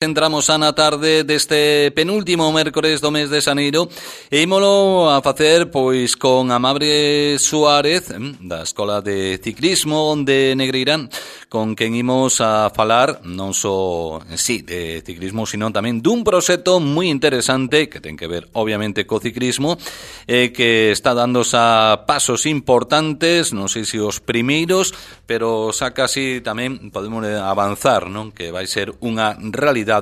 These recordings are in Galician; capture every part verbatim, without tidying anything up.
Entramos a na tarde deste penúltimo mércores do mes de xaneiro e ímolo a facer pois con Amable Suárez da Escola de Ciclismo de Negreira, con quen imos a falar non só en sí de ciclismo, sino tamén dun proxecto moi interesante que ten que ver obviamente co ciclismo e que está dándose a pasos importantes, non sei se os primeiros, pero xa casi tamén podemos avanzar, non? Que vai ser unha realidade,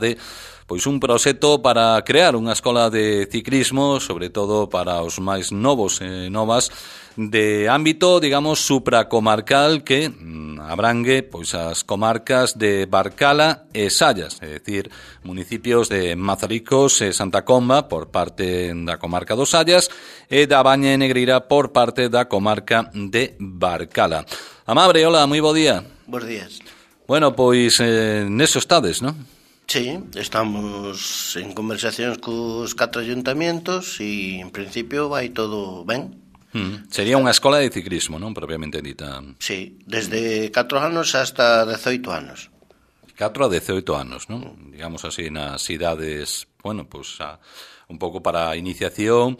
pois un proxecto para crear unha escola de ciclismo, sobre todo para os máis novos e novas, de ámbito, digamos, supracomarcal que mm, abrangue pois as comarcas de Barcala e Sallas, é dicir, municipios de Mazaricos e Santa Comba por parte da comarca dos Sallas e da Baña e Negreira por parte da comarca de Barcala. Amable, hola, moi bo día. Bos días. Bueno, pois eh, neso estades, non? Sí, estamos en conversacións cos catro ayuntamientos e en principio vai todo ben. Mm. Sería unha escola de ciclismo, non? Propiamente dita. Sí, desde catro anos hasta dezoito anos. catro a dezoito anos, non? Mm. Digamos así, nas idades, bueno, pues a, un pouco para a iniciación,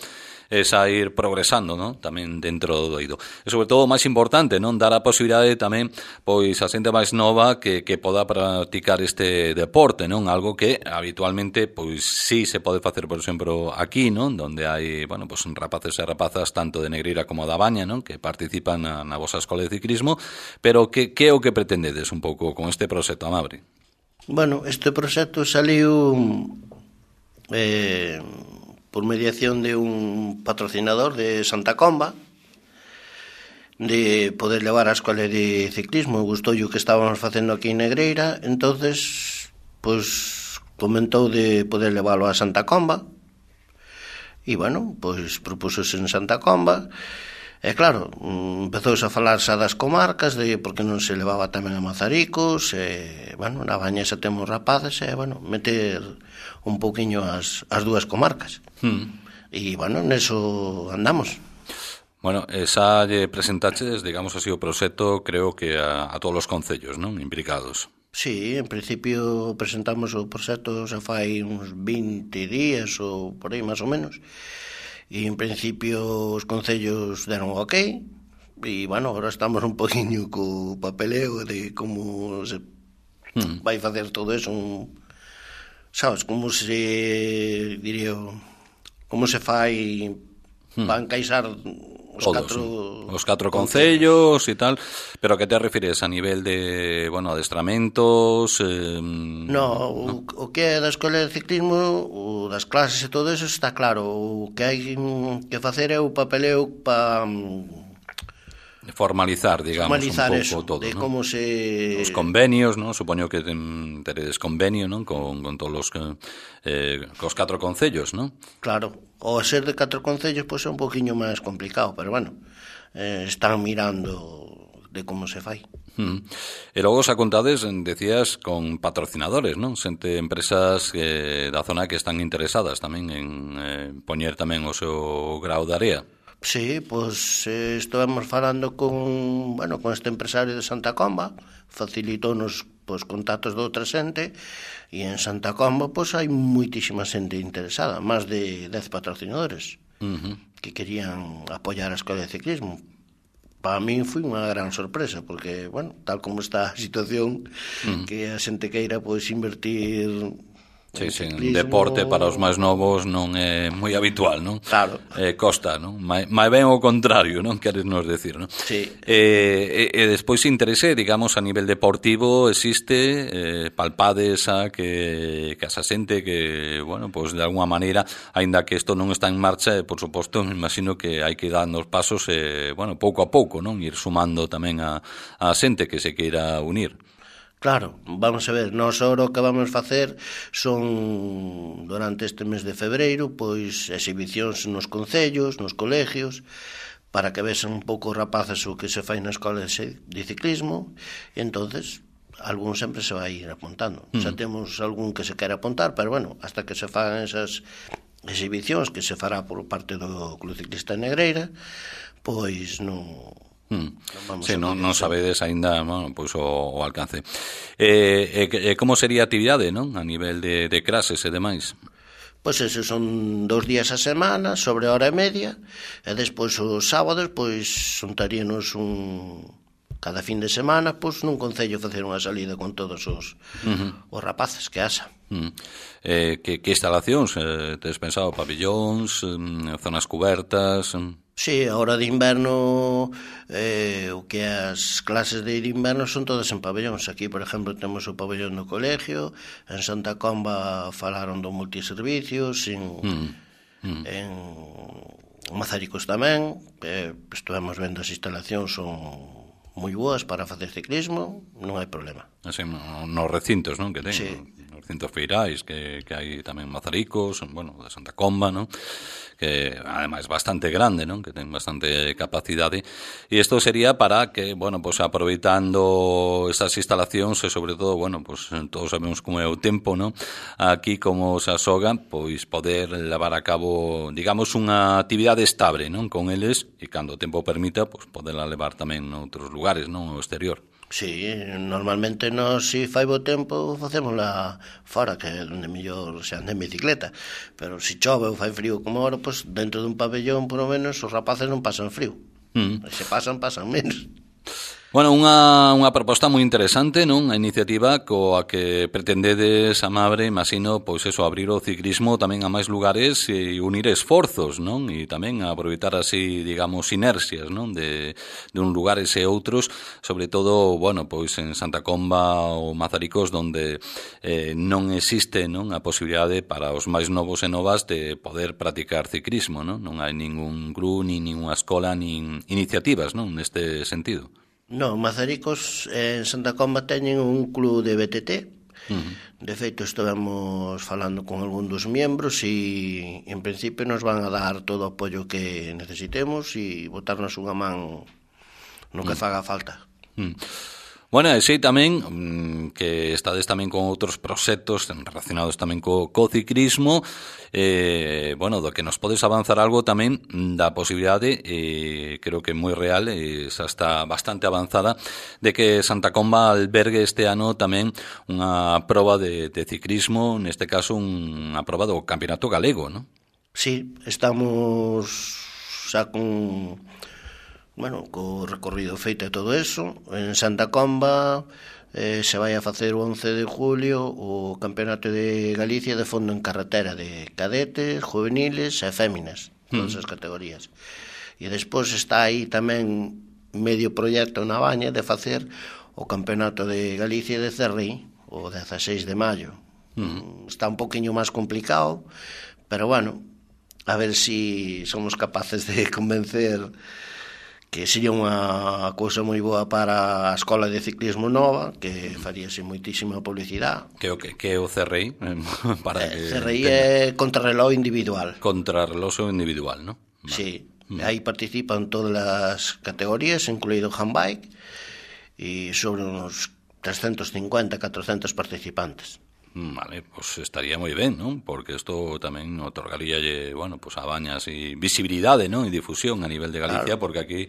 es a ir progresando, non? Tamén dentro do eido. E sobre todo, o máis importante, non? Dar a posibilidade tamén, pois, a xente máis nova que, que poda practicar este deporte, non? Algo que habitualmente, pois, sí se pode facer, por exemplo, aquí, non? Donde hai, bueno, pois, rapaces e rapazas tanto de Negreira como da Baña, non? Que participan na, na vosa escola de ciclismo, pero que, que é o que pretendedes un pouco con este proxecto, Amable? Bueno, este proxecto saliu eh, por mediación de un patrocinador de Santa Comba, de poder levar a escola de ciclismo. Gustou o que estábamos facendo aquí en Negreira, entonces pois comentou de poder leválo a Santa Comba e bueno, pois propúsose en Santa Comba e claro, empezouse a falar xa das comarcas, de porque non se levaba tamén a Mazaricos e bueno, na Baña xa temos rapaces e bueno, meter un pouquiño as, as dúas comarcas. Hmm. E, bueno, neso andamos. Bueno, esa lle presentaches, digamos así, o proxecto, creo que a, a todos os concellos, non? Implicados. Sí, en principio presentamos o proxecto xa fai uns vinte días ou por aí, máis ou menos. E, en principio, os concellos deron o ok. E, bueno, agora estamos un poquinho co papeleo de como se hmm. vai facer todo eso, un... sabes, como se diría, como se fai hmm. para encaixar os todos, catro sí. os catro concellos e tal, pero que te refires a nivel de, bueno, adestramentos? Eh, no, no, o, o que é da escola de ciclismo, o das clases e todo eso está claro. O que hai que facer é o papeleo para formalizar, digamos, formalizar un pouco eso, todo, de ¿no? como se... Os convenios, ¿no? Supoño que ten, teredes convenio, ¿no? Con, con todos os eh, cos catro concellos, ¿no? Claro, o ser de catro concellos pois pues, é un poquinho máis complicado, pero bueno, eh, están mirando de como se fai. Mm. E logo xa contades, decías, con patrocinadores, non? Xente, empresas eh, da zona que están interesadas tamén en eh, poñer tamén o seu grau de area. Sí, pois eh, estivemos falando con, bueno, con este empresario de Santa Comba, facilitónos pois contactos de outra xente e en Santa Comba pois hai moitísima xente interesada, máis de dez patrocinadores uh-huh. que querían apoiar a escola de ciclismo. Para mí foi unha gran sorpresa porque, bueno, tal como está a situación, uh-huh. que a xente queira pois invertir... Sí, sí, un deporte para os máis novos non é moi habitual, non? Claro. Eh, costa, non? Mai, mai ben o contrario, non? Queres nos decir, non? Sí. Eh, e, e despois interese, digamos, a nivel deportivo existe, eh, palpades a que, que a xente que, bueno, pois pues, de alguna maneira, aínda que isto non está en marcha, e, por suposto, me imagino que hai que ir dando os pasos, eh, bueno, pouco a pouco, non? Ir sumando tamén a, a xente que se queira unir. Claro, vamos a ver, nós ahora o que vamos facer son, durante este mes de febreiro, pois exhibicións nos concellos, nos colegios, para que vexan un pouco rapaces o que se fai na escola de ciclismo, e entonces algún sempre se vai ir apuntando. Mm. Xa temos algún que se quere apuntar, pero bueno, hasta que se fagan esas exhibicións que se fará por parte do Club Ciclista de Negreira, pois non... Hmm. Non sí, non, non sabedes aínda, bueno, pois o, o alcance. Eh, e, e como sería a actividade, non? A nivel de, de clases e demais? Pois esos son dous días a semana, sobre hora e media, e despois os sábados, pois xuntaríanos un... cada fin de semana, pois nun concello facer unha salida con todos os, uh-huh. os rapaces que asa. Uh-huh. Eh, que, que instalacións? Eh, tes pensado pabillóns, eh, zonas cubertas... Eh... Sí, a hora de inverno, eh, o que as clases de inverno son todas en pabellóns. Aquí, por exemplo, temos o pabellón do colegio, en Santa Comba falaron do multiservicios, en, mm. Mm. en Mazaricos tamén, eh, estuvemos vendo as instalacións, son moi boas para facer ciclismo, non hai problema. Así, nos recintos, non, que ten, sí. Nos recintos feirais, que, que hai tamén Mazaricos, bueno, de Santa Comba, non? Que ademais bastante grande, non? Que ten bastante capacidade. E isto sería para que, bueno, pues aproveitando estas instalacións e sobre todo, bueno, pues todos sabemos como é o tempo, non? Aquí como se asoga, pois poder levar a cabo, digamos, unha actividade estable, non? Con eles e cando o tempo permita, pues poderla levar tamén noutros lugares, non? O exterior. Sí, normalmente nos, si fai bo tempo, facémola fora, que é onde mellor se anda en bicicleta. Pero se chove ou fai frío como ahora, pois dentro dun pabellón, por lo menos, os rapaces non pasan frío. Mm. E se pasan, pasan menos. Bueno, unha, unha proposta moi interesante, non? A iniciativa coa que pretendedes, Amabre, imagino, pois eso, abrir o ciclismo tamén a máis lugares e unir esforzos, non? E tamén aproveitar así, digamos, inercias, non? De, de un lugares e outros, sobre todo, bueno, pois en Santa Comba ou Mazaricos, donde eh, non existe, non? A posibilidade para os máis novos e novas de poder practicar ciclismo, non? Non hai ningún club, nin ninguna escola, nin iniciativas, non? Neste sentido. No, Mazaricos en Santa Comba teñen un club de B T T. Uh-huh. De feito, estivemos falando con algún dos miembros e en principio nos van a dar todo o apoio que necesitemos e botarnos unha man no que uh-huh. faga falta. Uh-huh. Bueno, e sei tamén mmm, que estades tamén con outros proxectos relacionados tamén co, co ciclismo, eh, bueno, do que nos podes avanzar algo tamén da posibilidade, eh, creo que moi real, e xa está bastante avanzada, de que Santa Comba albergue este ano tamén unha proba de, de ciclismo, neste caso unha proba do Campeonato Galego, non? Sí, estamos xa con... bueno, co recorrido feito e todo eso. En Santa Comba eh, se vai a facer o once de julio o Campeonato de Galicia de fondo en carretera de cadetes, juveniles e féminas, todas as categorías. E despois está aí tamén medio proxecto na Baña de facer o Campeonato de Galicia de Cerri o dieciséis de maio. Uh-huh. Está un poquinho máis complicado, pero bueno, a ver si somos capaces de convencer que sería unha cousa moi boa para a Escola de Ciclismo Nova, que faríase moitísima publicidade. Que o que, que o C R I? Para eh, que C R I é contrarreloj individual. Contrarreloj individual, ¿no? Vale. Sí, mm. aí participan todas as categorías, incluído handbike, e sobre uns trescentos cincuenta, catrocentos participantes. Vale, pues estaría moi ben, non? Porque isto tamén otorgaría, bueno, pues a Baña así visibilidade, non? E difusión a nivel de Galicia, claro. Porque aquí,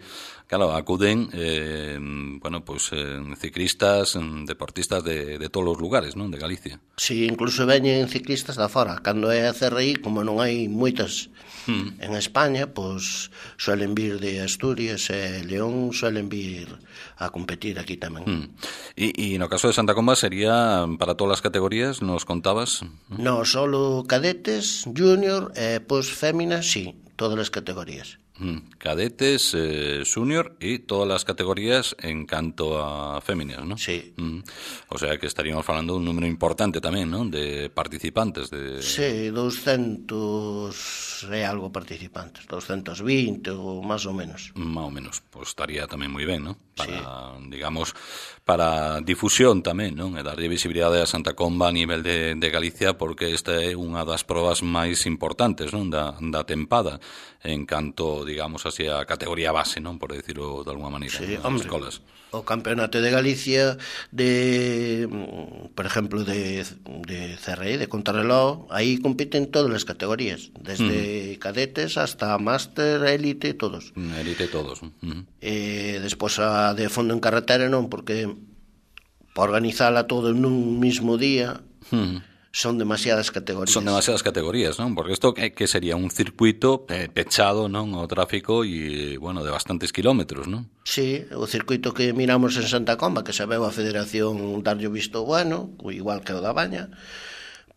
claro, acuden eh, bueno, pues eh, ciclistas, deportistas de, de todos os lugares, non? De Galicia. Sí, incluso veñen ciclistas da fora. Cando é a C R I, como non hai moitas mm. en España, pues suelen vir de Asturias e León, suelen vir a competir aquí tamén. Mm. E, e no caso de Santa Comba sería para todas as categorías, nos contabas? No, solo cadetes, junior e pois féminas, sí, todas as categorías. Mm, cadetes, eh, junior e todas as categorías en canto a féminas, ¿no? Sí. Mm. O sea que estaríamos falando de un número importante tamén, ¿no? De participantes. De... Sí, doscientos e algo participantes, doscientos veinte ou máis ou menos. Máis ou menos, pues estaría tamén moi ben, ¿no? Para, sí. digamos, para difusión tamén, non? E darlle visibilidade a Santa Comba a nivel de, de Galicia, porque esta é unha das probas máis importantes, non? Da, da tempada en canto, digamos así, a categoría base, non? Por decirlo de alguma maneira, sí, nas hombre, escolas. O Campeonato de Galicia de, por ejemplo, de, de C R I, de contrarreloj, aí compiten todas as categorías, desde uh-huh. cadetes hasta máster, élite, todos. Élite todos. Uh-huh. E despois a de fondo en carretera non, porque para organizala todo nun mismo día uh-huh. son demasiadas categorías. Son demasiadas categorías, non? Porque isto que, que sería un circuito eh, pechado, non, ao tráfico e, bueno, de bastantes kilómetros, non? Sí, o circuito que miramos en Santa Comba, que sabeu a Federación darlle o visto bueno, igual que o da Baña,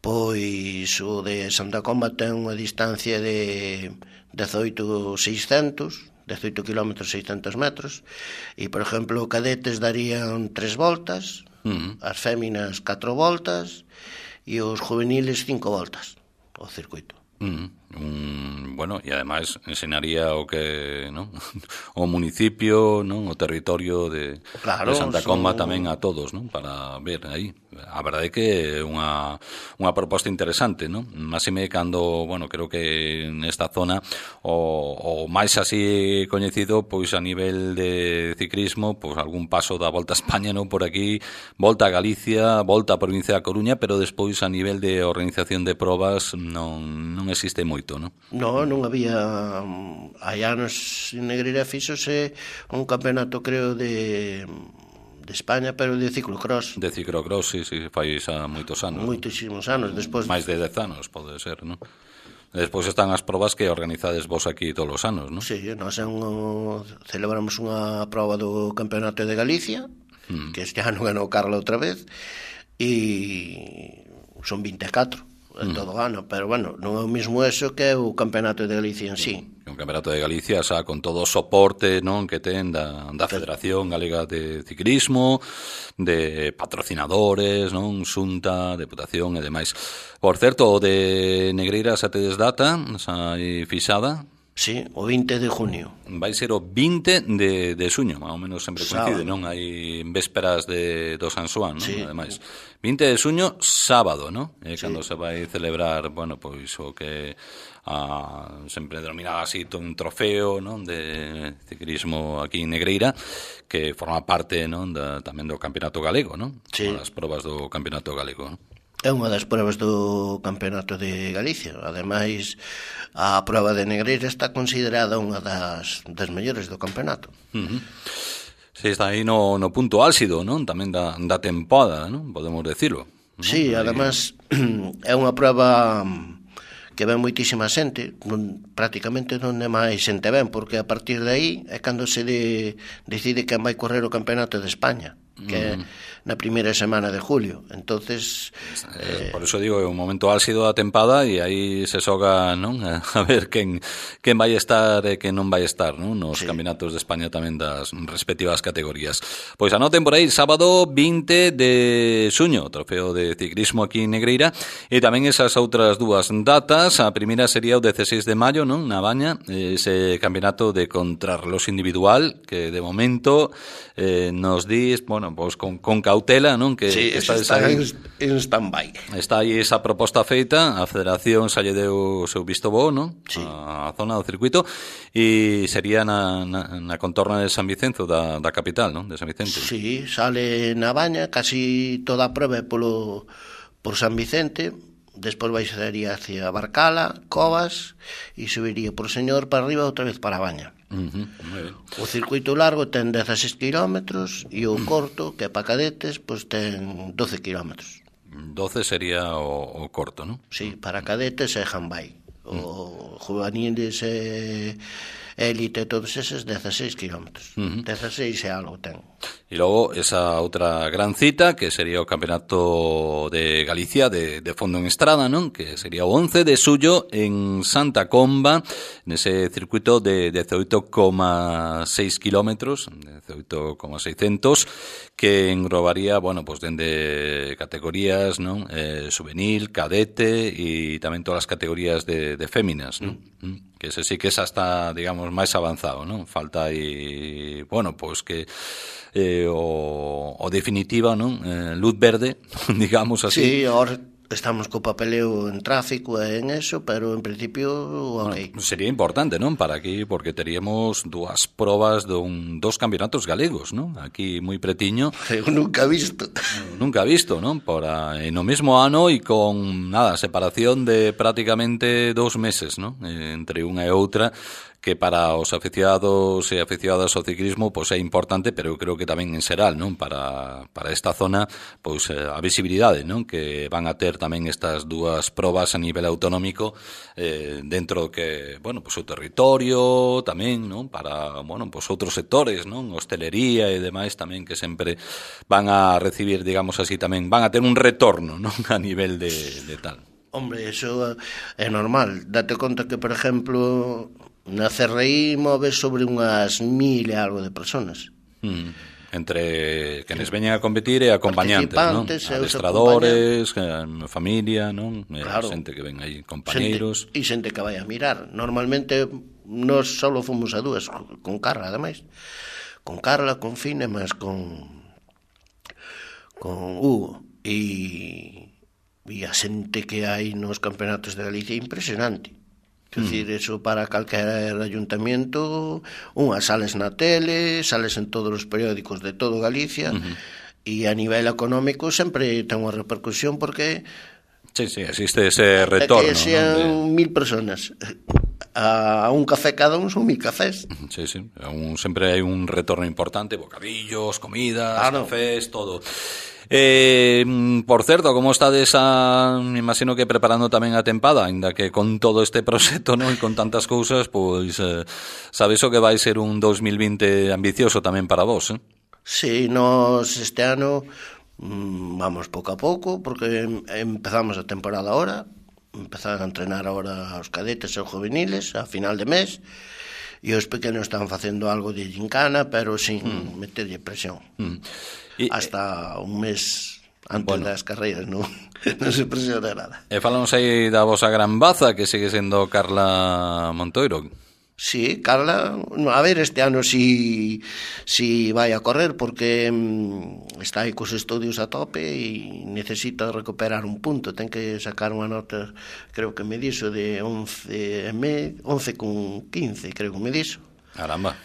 pois o de Santa Comba ten unha distancia de dezoito mil seiscentos, dezoito kilómetros seiscentos metros, e, por exemplo, cadetes darían tres voltas, uh-huh. as féminas catro voltas, e os juveniles cinco voltas ao circuito. Mm, um, bueno, e ademais enseñaría o que, non? O municipio, non? O territorio de, claro, de Santa Comba son... tamén a todos, non? Para ver aí. A verdade é que é unha, unha proposta interesante, non? Máxime cando, bueno, creo que nesta zona o, o máis así coñecido, pois a nivel de ciclismo, pois algún paso da Volta a España, non? Por aquí, Volta a Galicia, Volta a Provincia da Coruña, pero despois a nivel de organización de probas non, non existe moito, non? Non, non había. Hai anos en Negreira fíxose un campeonato, creo, de de España, pero de ciclocross. De ciclocross, sí, sí, fai xa moitos anos. Moitísimos anos, despois... máis de dez anos, pode ser, non? Despois están as probas que organizades vos aquí todos os anos, non? Sí, nós un, celebramos unha proba do Campeonato de Galicia, mm. que este ano ganou Carla outra vez, e son vinte e catro en mm. todo o ano, pero bueno, non é o mesmo eso que o Campeonato de Galicia en sí. O Campeonato de Galicia xa con todo o soporte, non, que ten da, da Federación Galega de Ciclismo, de patrocinadores, non, Xunta, Deputación e demais. Por certo, o de Negreira xa tedes data, xa hai fixada? Sí, o vinte de junio. Vai ser o vinte de, de suño, máis ou menos sempre coincide, non? Hai vésperas de, do San Xoán, non? Sí. Ademais, vinte de suño, sábado, non? É sí. cando se vai celebrar, bueno, pois o que a, sempre denominaba así un trofeo, non? De ciclismo aquí en Negreira, que forma parte, non? Da, tamén do Campeonato Galego, non? Sí. As probas do Campeonato Galego, non? É unha das pruebas do Campeonato de Galicia. Ademais, a proba de Negreira está considerada unha das, das mellores do campeonato. Uh-huh. Si, está aí no, no punto álxido, non? Tamén da, da tempada, non? Podemos decirlo, non? Sí, ademais, é unha proba que ven moitísima xente, non, prácticamente non é máis xente ven, porque a partir de aí é cando se de, decide quen vai correr o Campeonato de España, que é na primeira semana de julio. Entonces, eh, por eso digo, é un momento álxido da tempada e aí se xoga, non? A ver quen quen vai estar e quen non vai estar, non? Nos sí. Campeonatos de España tamén das respectivas categorías. Pois anoten por aí, sábado vinte de suño, trofeo de ciclismo aquí en Negreira, e tamén esas outras dúas datas. A primeira sería o dezseis de maio, non? Na Baña, ese campeonato de contrarreloj individual que de momento eh, nos dis, bueno, pois con, con cautela, non? Que, sí, que está, está en, en stand-by. Está aí esa proposta feita, a Federación xa lle deu o seu visto bo, non? Sí. A, a zona do circuito, e sería na, na, na contorna de San Vicenzo, da, da capital, non? De San Vicente. Sí, sale na Baña, casi toda a prova polo, por San Vicente, despois vai sería hacia Barcala, Covas, e subiría por Señor para arriba outra vez para a Baña. Uh-huh, muy bien. O circuito largo ten dezasseis kilómetros e o corto, que é para cadetes, pois ten doce kilómetros. doce sería o, o corto, non? Sí, para cadetes é handbike. O juveniles e élite, todos eses, dezasseis kilómetros. Uh-huh. dezasseis é algo ten. E logo esa outra gran cita, que sería o Campeonato de Galicia de, de fondo en estrada, non? Que sería o once de suyo en Santa Comba, nese circuito de dezoito coma seis kilómetros, dezoito coma seiscentos, que englobaría, bueno, pues dende categorías, non? Eh, juvenil, cadete e tamén todas as categorías de, de féminas, non? Mm. Que ese sí que esa está, digamos, máis avanzado, non? Falta aí, bueno, pois que eh, o, o definitiva, non? Eh, luz verde, digamos así. Sí, or, estamos co papeleo en tráfico e en eso, pero en principio, ok. Bueno, sería importante, non? Para aquí, porque teríamos dúas probas dun, dos campeonatos galegos, non? Aquí moi pretiño. Eu nunca visto. Nunca visto, non? Por a, en o mesmo ano e con, nada, separación de prácticamente dos meses, non? Entre unha e outra, que para os aficionados e aficionadas ao ciclismo pois é importante, pero eu creo que tamén en xeral, non? Para, para esta zona, pois a visibilidade, non? Que van a ter tamén estas dúas probas a nivel autonómico eh, dentro que, bueno, pois o territorio tamén, non? Para, bueno, pois outros sectores, non? Hostelería e demais tamén que sempre van a recibir, digamos así, tamén van a ter un retorno, non? A nivel de, de tal. Hombre, eso é normal. Date conta que, por exemplo, na C R I move sobre unhas mil e algo de personas. Mm. Entre quenes veñen a competir e acompañantes, non? Adestradores, familia, non? Claro. Xente que ven aí, compañeiros. E xente que vai a mirar. Normalmente nós só fomos a dúas, con Carla, ademais. Con Carla, con Fine, mas con con Hugo. E e a xente que hai nos campeonatos de Galicia é impresionante. Quer dicir, eso para calquer ayuntamiento, unhas sales na tele, sales en todos os periódicos de todo Galicia, uh-huh. E a nivel económico sempre ten unha repercusión porque sí, sí, existe ese retorno, que sean ¿no? De... mil personas a un café cada un son mil cafés. Sí, sí, un, sempre hai un retorno importante, bocadillos, comidas, claro. Cafés, todo. Eh, por certo, como estades a, me imagino que preparando tamén a tempada, ainda que con todo este proxecto, non, e con tantas cousas, pois eh, sabes o que vai ser un dos mil vinte ambicioso tamén para vos, eh? Sí, nos este ano vamos pouco a pouco, porque empezamos a temporada ahora, empezaron a entrenar ahora os cadetes e os juveniles a final de mes, e os pequenos están facendo algo de gincana, pero sin mm. meterlle presión. Mm. E, hasta un mes antes bueno. das carreiras non, non se presiona nada. E falamos aí da vosa gran baza, que sigue sendo Carla Montoiro. Sí, Carla, a ver, este ano si, si vai a correr, porque mm, está aí cos estudios a tope e necesita recuperar un punto, ten que sacar unha nota, creo que me dixo de once, once con quince, creo que me dixo. Caramba.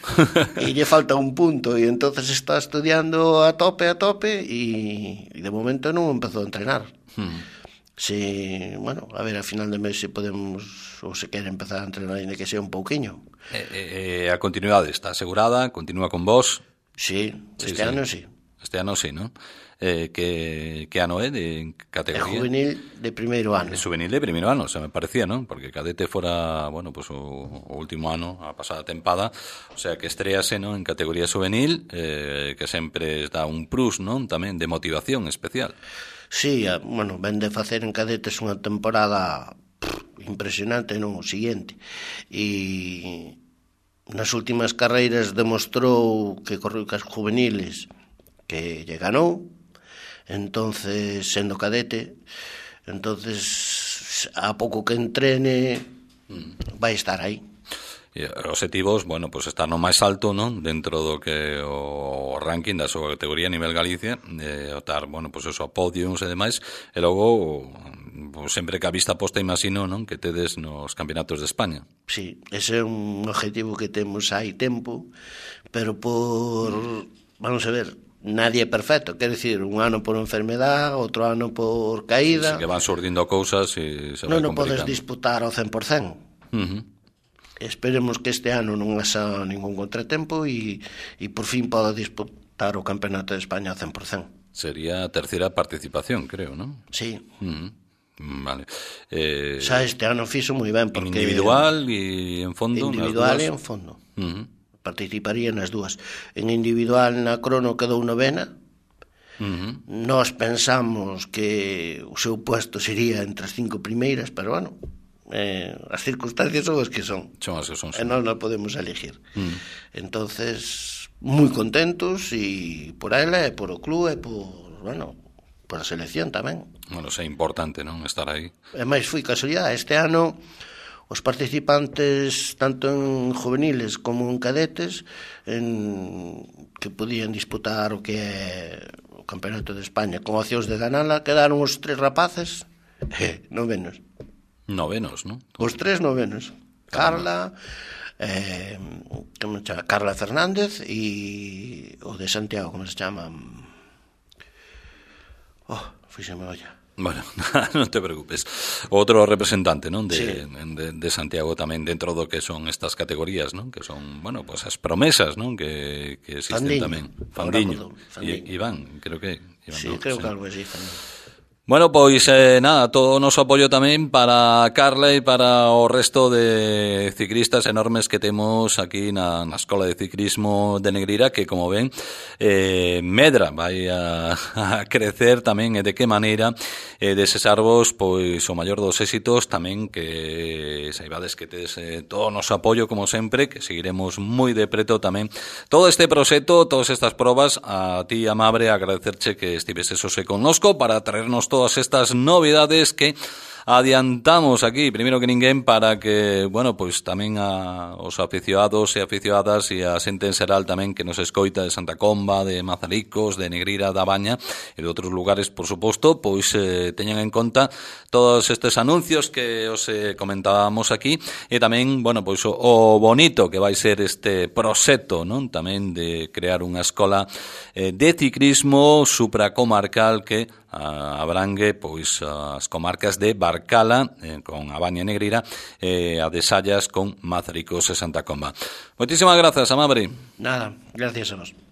E lle falta un punto e entonces está estudiando a tope, a tope e, e de momento non empezou a entrenar. Hmm. Si, bueno, a ver, a final de mes se podemos ou se quere empezar a entrenar ainda que sea un pouquiño. Eh, eh, a continuidade está asegurada, continúa con vos? Sí, este sí, ano sí. Este ano sí, non? Eh, que, que ano é de categoría? É juvenil de primeiro ano. É juvenil de primeiro ano, se me parecía, non? Porque cadete fora, bueno, pues o, o último ano, a pasada tempada, o sea, que estrease, non, en categoría juvenil, eh, que sempre dá un plus, non? Tamén de motivación especial. Sí, bueno, ven de facer en cadetes unha temporada pff, impresionante, non? O siguiente. E nas últimas carreiras demostrou que correu cas juveniles que lle ganou, entonces sendo cadete, entonces a pouco que entrene vai estar aí. E os objetivos, bueno, pues estar no máis alto, non? Dentro do que o ranking da súa categoría a nivel Galicia, eh, estar, bueno, pues eso, a podiums e demais, e logo pues, sempre que a vista posta, imagino, non? Que tedes nos campeonatos de España. Sí, ese é un objetivo que temos hai tempo, pero por, vamos a ver, nadie é perfecto, quer decir, un ano por enfermedad, outro ano por caída. Sí, sí, que van surdindo cousas e se non, vai non podes complicando. disputar ao cen por cen. Uh-huh. Esperemos que este ano non haxa ningún contratempo e, e por fin poda disputar o Campeonato de España ao cen por cen. Sería a terceira participación, creo, non? Sí. Uh-huh. Vale. Eh, Xa este ano fixo moi ben porque... En individual e en fondo? Individual e en fondo. Uh-huh. Participaría nas dúas. En individual na crono quedou novena. Uh-huh. Nós pensamos que o seu puesto sería entre as cinco primeiras, pero bueno, eh, as circunstancias son as que son. Son as que son. E nós non podemos elegir. Uh-huh. Entonces, moi contentos e por ela e por o club e por, bueno, por a selección tamén. Bueno, é importante, non, estar aí. E máis foi casualidade, este ano os participantes tanto en juveniles como en cadetes en, que podían disputar o que é o Campeonato de España con opcións de ganala, quedaron os tres rapaces Eh, novenos. Novenos, ¿no? Os tres novenos. Carla, eh, como se chama? Carla Fernández e o de Santiago, como se chama? Oh, fíxeme olla. Bueno, non te preocupes. Outro representante, non, de, sí. de, de Santiago tamén dentro do que son estas categorías, non, que son, bueno, pues as promesas, non, que, que existen Fandiño. tamén. Fandiño. Fandiño. I, Iván, creo que. Iván, sí, no, creo sí. que algo así tamén. Bueno, pois eh, nada, todo o noso apoio tamén para Carla e para o resto de ciclistas enormes que temos aquí na, na Escola de Ciclismo de Negreira, que, como ven, eh, medra vai a, a crecer tamén, e de que maneira eh, desesarvos pois o maior dos éxitos, tamén que saibades que tedes eh, todo o noso apoio, como sempre, que seguiremos moi de preto tamén todo este proxecto, todas estas probas. A ti, Amabre, agradecerche que estiveses hoxe connosco para traernos todo todas estas novidades que adiantamos aquí, primeiro que ninguén, para que, bueno, pois tamén a, os aficionados e aficionadas e a xente en xeral tamén que nos escoita de Santa Comba, de Mazaricos, de Negreira da Baña e de outros lugares, por suposto, pois eh, teñan en conta todos estes anuncios que os eh, comentábamos aquí, e tamén, bueno, pois o, o bonito que vai ser este proxecto, non? Tamén de crear unha escola eh, de ciclismo supracomarcal que a, abrangue pois as comarcas de Barcala eh, con a Baña Negreira e eh, a de Sallas con Mazaricos e Santa Comba. Moitísimas grazas, Amabre. Nada, gracias a vos.